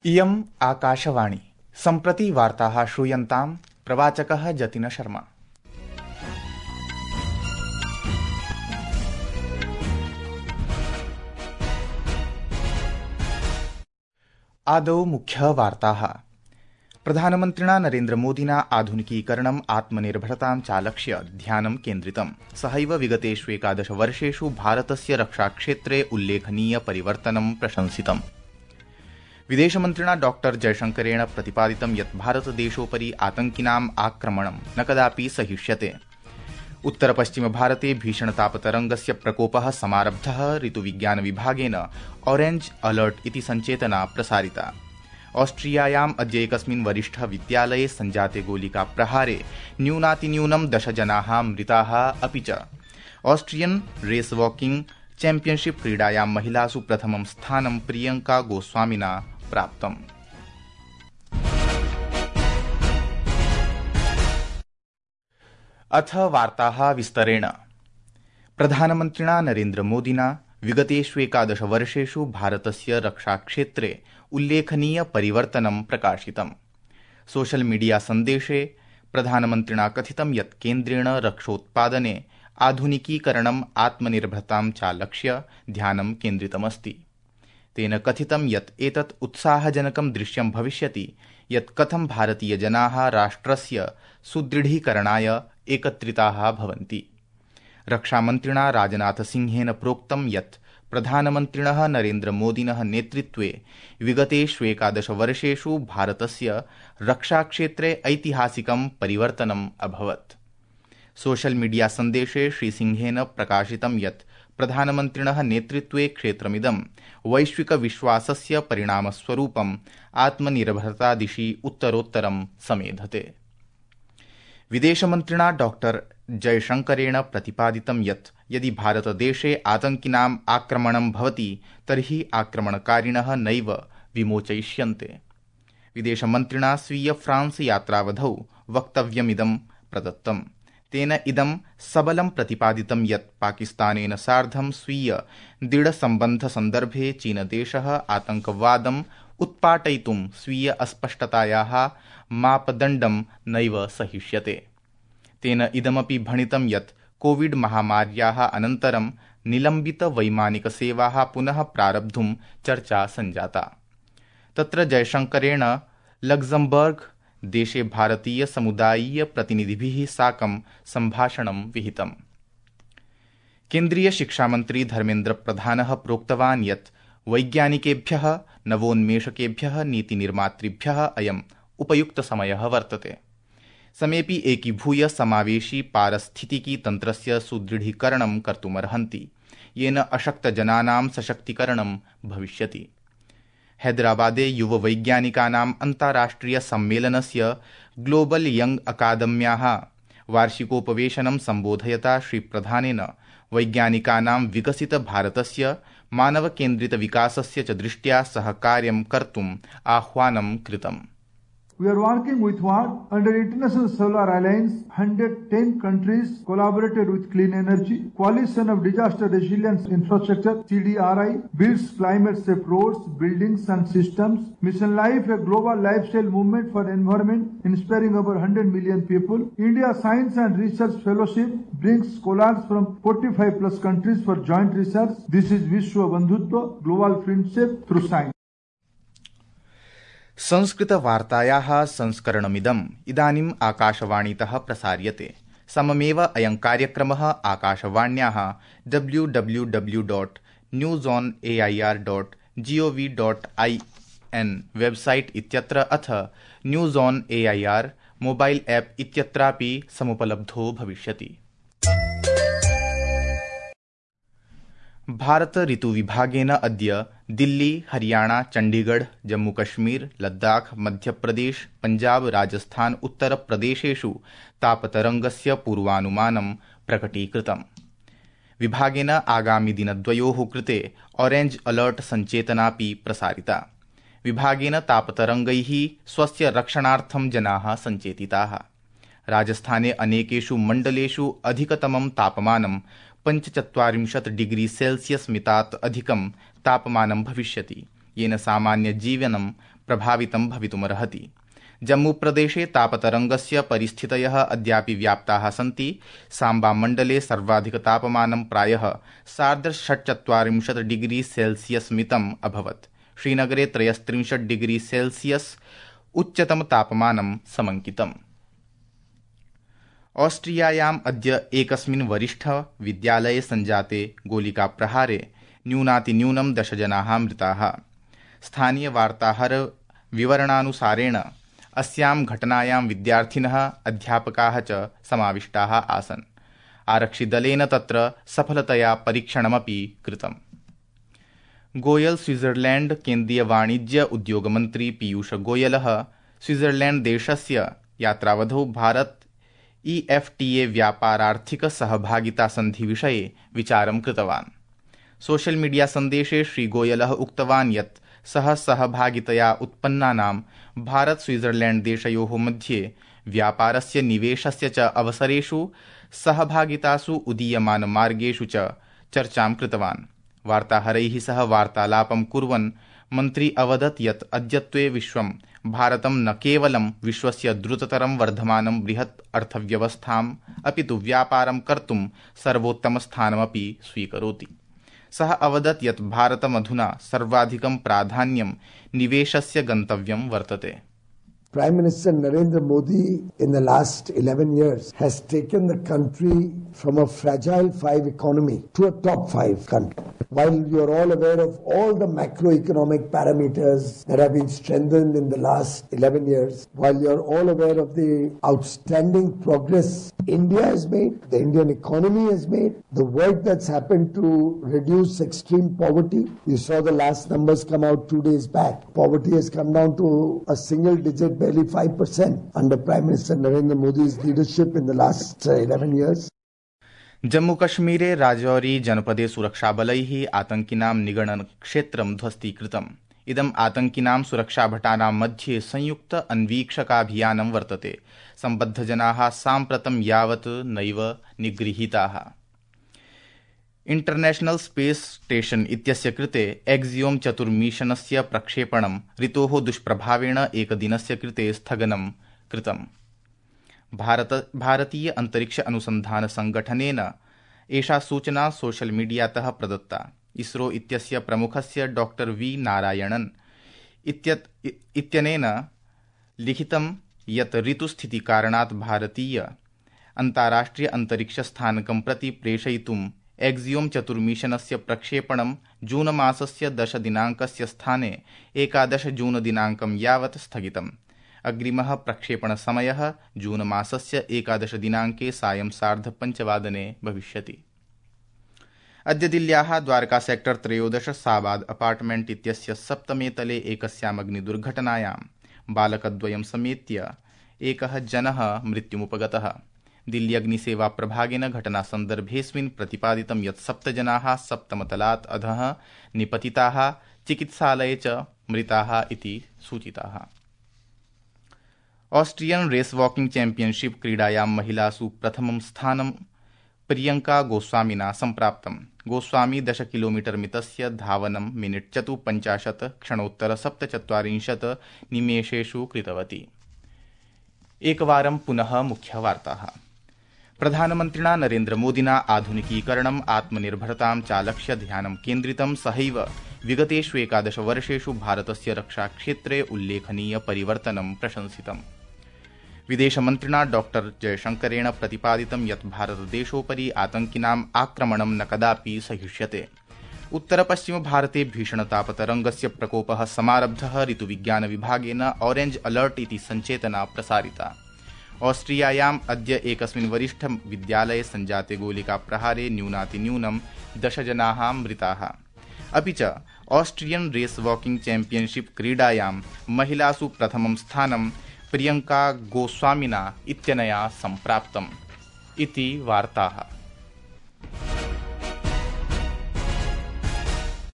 इयम् आकाशवाणी। सम्प्रति वार्ताः श्रूयन्ताम्। प्रवाचकः जतिन शर्मा। आदौ मुख्यवार्ताः। प्रधानमन्त्रिणा नरेन्द्रमोदिना आधुनिकीकरणम् आत्मनिर्भरतां चालक्ष्य ध्यानं केन्द्रितम्। सहैव विगतेषु 11 वर्षेषु भारतस्य रक्षाक्षेत्रे उल्लेखनीय परिवर्तनं प्रशंसितम्। विदेशमन्त्रिणा डॉ जयशंकरेण प्रतिपादितं यत् भारतदेशोपरि आतंकिनाम् आक्रमणं न कदापि सहिष्यते। उत्तरपश्चिमभारते भीषणतापतरङ्गस्य प्रकोपः समारब्धः। ऋतुविज्ञानविभागेन ऑरेंज अलर्ट इति सञ्चेतना प्रसारिता। ऑस्ट्रियायाम् अद्य एकस्मिन् वरिष्ठविद्यालये सञ्जाते गोलिकाप्रहारे न्यूनातिन्यूनं 10 जनाः मृताः। अपि च ऑस्ट्रियन रेस वॉकिंग चैम्पियनशिप क्रीडायां महिलासु प्रथमं स्थानं प्रियंका गोस्वामिना प्राप्तम्। अथ वार्ताः विस्तरेण। प्रधानमन्त्रिणा नरेन्द्रमोदिना विगतेषु 11 वर्षेषु भारतस्य रक्षाक्षेत्रे उल्लेखनीय परिवर्तनं प्रकाशितम्। सोशल मीडिया सन्देशे प्रधानमन्त्रिणा कथितं यत् केन्द्रेण रक्षोत्पादने आधुनिकीकरणम् आत्मनिर्भरतां चालक्ष्य ध्यानं केन्द्रितमस्ति। तेन कथितं यत् एतत् उत्साहजनकं दृश्यं भविष्यति यत् कथं भारतीयजनाः राष्ट्रस्य सुदृढीकरणाय एकत्रिताः भवन्ति। रक्षामन्त्रिणा राजनाथसिंहेन प्रोक्तं यत् प्रधानमन्त्रिणः नरेन्द्रमोदिनः नेतृत्वे विगतेषु 11 वर्षेषु भारतस्य रक्षाक्षेत्रे ऐतिहासिकं परिवर्तनम् अभवत्। सोशल मीडिया सन्देशे श्रीसिंहेन प्रकाशितं यत् प्रधानमन्त्रिणः नेतृत्वे क्षेत्रमिदं वैश्विकविश्वासस्य परिणामस्वरूपम् आत्मनिर्भरता दिशि उत्तरोत्तरं समेधते। विदेशमन्त्रिणा डॉ जयशंकरेण प्रतिपादितं यत् यदि भारतदेशे आतंकिनाम् आक्रमणं भवति तर्हि आक्रमणकारिणः नैव विमोचयिष्यन्ते। विदेशमन्त्रिणा स्वीय फ्रांस यात्रावधौ वक्तव्यमिदं प्रदत्तम्। तेन इदं सबलं प्रतिपादितं यत् पाकिस्तानेन सार्धं स्वीय दृढसम्बन्धसन्दर्भे चीनदेशः आतंकवादम् उत्पाटयितुं स्वीय अस्पष्टतायाः मापदण्डं नैव सहिष्यते। तेन इदमपि भणितं यत् कोविड महामार्याः अनन्तरं निलम्बितवैमानिकसेवाः पुनः प्रारब्धुं चर्चा सञ्जाता। तत्र जयशंकरेण लग्जमबर्ग देशे भारतीय समुदायीय प्रतिनिधिभिः साकं सम्भाषणं विहितम्। केन्द्रीय शिक्षामन्त्री धर्मेन्द्र प्रधानः प्रोक्तवान् यत् वैज्ञानिकेभ्यः नवोन्मेषकेभ्यः नीतिनिर्मातृभ्यः अयम् उपयुक्तसमयः वर्तते। समेऽपि एकीभूय समावेशी पारिस्थितिकी तन्त्रस्य सुदृढीकरणं कर्तुमर्हन्ति, येन अशक्तजनानां सशक्तीकरणं भविष्यति। हैदराबादे युववैज्ञानिकानाम् अन्ताराष्ट्रिय सम्मेलनस्य ग्लोबल यंग अकादम्याः वार्षिकोपवेशनं सम्बोधयता श्रीप्रधानेन वैज्ञानिकानां विकसित भारतस्य मानवकेन्द्रितविकासस्य च दृष्ट्या सहकार्यं कर्तुम् आह्वानं कृतम्। We are working with what? Under International Solar Alliance, 110 countries collaborated with clean energy. Coalition of Disaster Resilience Infrastructure, CDRI, builds climate-safe roads, buildings and systems. Mission Life, a global lifestyle movement for environment, inspiring over 100 million people. India Science and Research Fellowship brings scholars from 45 plus countries for joint research. This is Vishwa Bandhutva, global friendship through science. संस्कृतवार्तायाः संस्करणमिदम् इदानीम् आकाशवाणीतः प्रसार्यते। सममेव अयं कार्यक्रमः आकाशवाण्याः www.newsonair.gov.in website इत्यत्र अथ news on AIR mobile app इत्यत्रापि समुपलब्धो भविष्यति। भारत ऋतुविभागेन अद्य दिल्ली, हरियाणा, चण्डीगढ़, जम्मूकश्मीर, लद्दाख, मध्यप्रदेश, पंजाब, राजस्थान, उत्तरप्रदेशेषु तापतरङ्गस्य पूर्वानुमानं प्रकटीकृतम्। विभागेन आगामिदिनद्वयोः कृते ऑरेंज अलर्ट सञ्चेतनापि प्रसारिता। विभागेन तापतरङ्गैः स्वस्य रक्षणार्थं जनाः सञ्चेतिताः। राजस्थाने अनेकेषु मण्डलेषु अधिकतमं तापमानं 45 डिग्री सेल्सियस मितात् अधिकं तापमानं भविष्यति, येन सामान्य जीवनं प्रभावितं भवितुमर्हति। जम्मूप्रदेशे तापतरङ्गस्य परिस्थितयः अद्यापि व्याप्ताः सन्ति। साम्बामण्डले सर्वाधिकतापमानं प्रायः 46 डिग्री सेल्सियस् मितम् अभवत्। श्रीनगरे 33 डिग्री सेल्सियस् उच्चतमतापमानं समङ्कितम्। ऑस्ट्रियायाम् अद्य एकस्मिन् वरिष्ठविद्यालये सञ्जाते गोलिकाप्रहारे न्यूनातिन्यूनं 10 जनाः मृताः। स्थानीयवार्ताहरविवरणानुसारेण अस्यां घटनायां विद्यार्थिनः अध्यापकाः च समाविष्टाः आसन्। आरक्षिदलेन तत्र सफलतया परीक्षणमपि कृतम्। गोयल स्विट्जरलैंड केन्द्रीय वाणिज्य उद्योगमन्त्री पीयूष गोयलः स्विट्जरलैंड देशस्य यात्रावधौ भारत EFTA व्यापारार्थिक सहभागिता सन्धि विषये विचारं कृतवान्। सोशल मीडिया सन्देशे श्रीगोयलः उक्तवान् यत् सः सहभागितया उत्पन्नानां भारत स्विट्जरलैंड देशयोः मध्ये व्यापारस्य निवेशस्य च अवसरेषु सहभागितासु उदीयमानमार्गेषु च चर्चां कृतवान्। वार्ताहरैः सह वार्तालापं कुर्वन् मन्त्री अवदत् यत् अद्यत्वे विश्वं भारतं न केवलं विश्वस्य द्रुततरं वर्धमानं बृहत् अर्थव्यवस्थाम् अपितु व्यापारं कर्तुं सर्वोत्तमस्थानमपि स्वीकरोति। सः अवदत् यत् भारतमधुना सर्वाधिकं प्राधान्यं निवेशस्य गन्तव्यं वर्तते। Prime Minister Narendra Modi in the last 11 years has taken the country from a fragile 5 economy to a top 5 country. While you are all aware of all the macroeconomic parameters that have been strengthened in the last 11 years, while you are all aware of the outstanding progress India has made, the Indian economy has made, the work that's happened to reduce extreme poverty. You saw the last numbers come out 2 days back. Poverty has come down to a single digit, barely 5% under Prime Minister Narendra Modi's leadership in the last 11 years. जम्मूकश्मीरे राजौरी जनपदे सुरक्षाबलैः आतङ्किनां निगडनक्षेत्रं ध्वस्तीकृतम्। इदम् आतङ्किनां सुरक्षाभटानां मध्ये संयुक्त अन्वीक्षकाभियानं वर्तते। सम्बद्धजनाः साम्प्रतं यावत् नैव निगृहीताः। International space station इत्यस्य कृते एक्सियोम चतुर्मिशनस्य प्रक्षेपणं ऋतोः दुष्प्रभावेण एकदिनस्य कृते स्थगनं कृतम्। भारतीय अंतरिक्ष अनुसंधान संगठनेन एषा सूचना सोशल मीडियातः प्रदत्ता। इसरो इत्यस्य प्रमुखस्य डॉक्टर वी नारायणन् इत्यनेन लिखितं यत् ऋतुस्थितिकारणात् भारतीय अन्ताराष्ट्रिय अंतरिक्षस्थानकं प्रति प्रेषयितुं एक्सियोम चतुर्मिशनस्य प्रक्षेपणं जून मासस्य 10 दिनाङ्कस्य स्थाने 11 जून दिनाङ्कं यावत् स्थगितम्। अग्रिमः प्रक्षेपणसमयः जून मासस्य 11 दिनाङ्के सायं 5:30 भविष्यति। अद्य दिल्ल्याः द्वारका सेक्टर 13 साबाद अपार्टमेंट इत्यस्य 7मे तले एकस्याम् अग्निदुर्घटनायां बालकद्वयं समेत्य एकः जनः मृत्युमुपगतः। दिल्ली अग्निसेवा प्रभागेन घटनासन्दर्भेऽस्मिन् प्रतिपादितं यत् 7 जनाः 7मतलात् अधः निपतिताः, चिकित्सालये च मृताः इति सूचिताः। ऑस्ट्रियन रेस वॉकिंग चैंपियनशिप क्रीडायां महिलासु प्रथमं स्थानं प्रियंका गोस्वामिना सम्प्राप्तम्। गोस्वामी 10 किलोमीटर मितस्य धावनं मिनिट् 54 क्षणोत्तर 47 निमेषेषु कृतवती। एकवारं पुनः मुख्यवार्ताः। प्रधानमन्त्रिणा नरेन्द्रमोदिना आधुनिकीकरणम् आत्मनिर्भरतां चालक्ष्य ध्यानं केन्द्रितं। सहैव विगतेषु 11 वर्षेषु भारतस्य रक्षाक्षेत्रे उल्लेखनीय परिवर्तनं प्रशंसितम्। विदेशमन्त्रिणा डॉक्टर जयशंकरेण प्रतिपादितं यत् भारतदेशोपरि आतङ्किनाम् आक्रमणं न कदापि सहिष्यते। उत्तरपश्चिमभारते भीषणतापतरङ्गस्य प्रकोपः समारब्धः। ऋतुविज्ञानविभागेन ऑरेंज अलर्ट इति सञ्चेतना प्रसारिता। ऑस्ट्रियायाम् अद्य एकस्मिन् वरिष्ठविद्यालये सञ्जाते गोलिकाप्रहारे न्यूनातिन्यूनं 10 जनाः मृताः। अपि च ऑस्ट्रियन रेस वॉकिंग चैंपियनशिप क्रीडायां महिलासु प्रथमं स्थानं प्रियंका गोस्वामिना इत्यनया सम्प्राप्तम् इति वार्ताः।